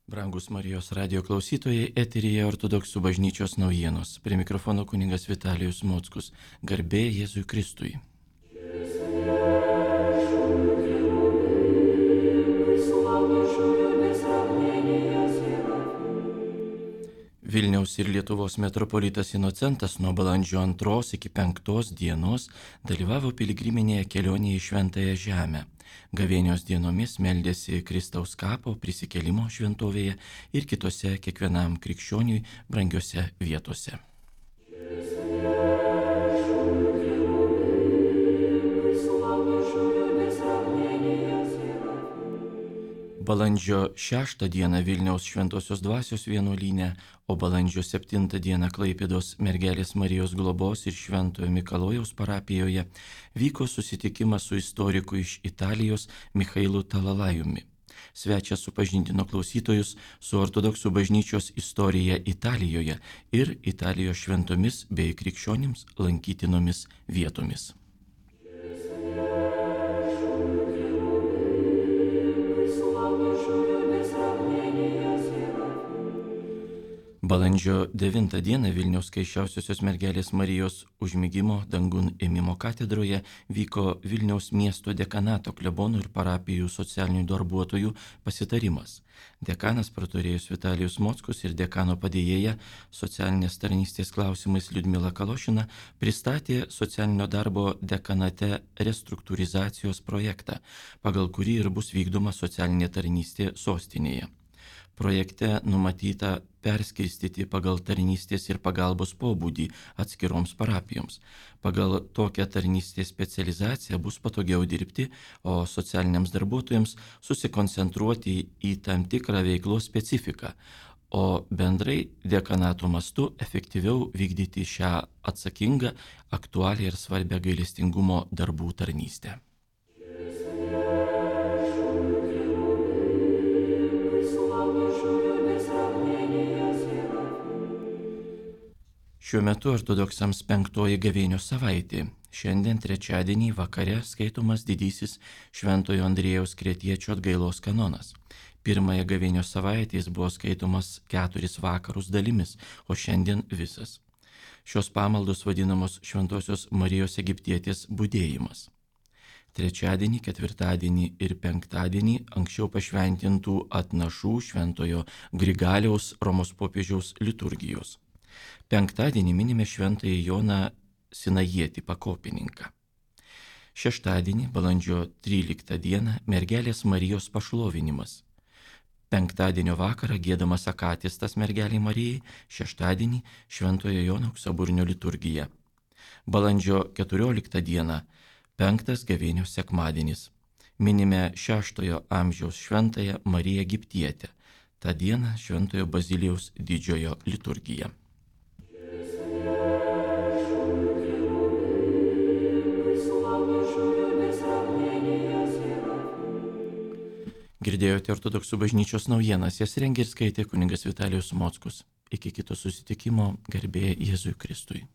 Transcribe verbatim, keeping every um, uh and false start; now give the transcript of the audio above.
Brangus Marijos radio klausytojai, eteryje Ortodoksų bažnyčios naujienos. Prie mikrofono kunigas Vitalijus Mockus. Garbė Jėzui Kristui. Vilniaus ir Lietuvos metropolitas Inocentas nuo balandžio antros iki penktos dienos dalyvavo piligriminėje kelionėje į Šventąją Žemę. Gavėnios dienomis meldėsi Kristaus kapo prisikėlimo šventovėje ir kitose kiekvienam krikščioniui brangiose vietose. Balandžio šeštą dieną Vilniaus Šventosios Dvasios vienuolyne, o balandžio septintą dieną Klaipėdos Mergelės Marijos globos ir Šventojo Mikalojaus parapijoje vyko susitikimas su istoriku iš Italijos Michailu Talalajumi. Svečias supažindino klausytojus su Ortodoksų bažnyčios istorija Italijoje ir Italijos šventomis bei krikščionims lankytinomis vietomis. Balandžio devintą dieną Vilniaus Skaisčiausiosios Mergelės Marijos užmigimo dangun ėmimo katedroje vyko Vilniaus miesto dekanato klebonų ir parapijų socialinių darbuotojų pasitarimas. Dekanas praturėjus Vitalijus Mockus ir dekano padėjėja socialinės tarnystės klausimais Liudmila Kalošina pristatė socialinio darbo dekanate restruktūrizacijos projektą, pagal kurį ir bus vykdoma socialinė tarnystė sostinėje. Projekte numatyta perskirstyti pagal tarnystės ir pagalbos pobūdį atskiroms parapijoms. Pagal tokią tarnystės specializaciją bus patogiau dirbti, o socialiniams darbuotojams susikoncentruoti į tam tikrą veiklos specifiką, o bendrai dekanato mastu efektyviau vykdyti šią atsakingą, aktualią ir svarbią gailestingumo darbų tarnystę. Šiuo metu ortodoksams penktoji gavėnios savaitė. Šiandien trečiadienį vakare skaitomas didysis Šventojo Andriejaus Kretiečio atgailos kanonas. Pirmąją gavėnios savaitę jis buvo skaitomas keturis vakarus dalimis, o šiandien visas. Šios pamaldos vadinamos Šventosios Marijos Egiptietės budėjimas. Trečiadienį, ketvirtadienį ir penktadienį anksčiau pašventintų atnašų Šventojo Grigaliaus Romos popiežiaus liturgijos. Penktadienį minime Šventąjį Joną Sinajietį pakopininką. Šeštadienį, balandžio tryliktą dieną, Mergelės Marijos pašlovinimas. Penktadienio vakarą giedamas akatistas Mergelei Marijai, šeštadienį Šventojo Jono auksaburnio liturgija. Balandžio keturioliktą dieną, penktas gavėnios sekmadienis. Minime šeštojo amžiaus Šventąją Mariją Egiptietę. Ta diena Šventojo Bazilijaus didžiojo liturgija. Girdėjote Ortodoksų bažnyčios naujienas, jas rengė ir skaitė kunigas Vitalijus Mockus. Iki kito susitikimo, garbė Jėzui Kristui.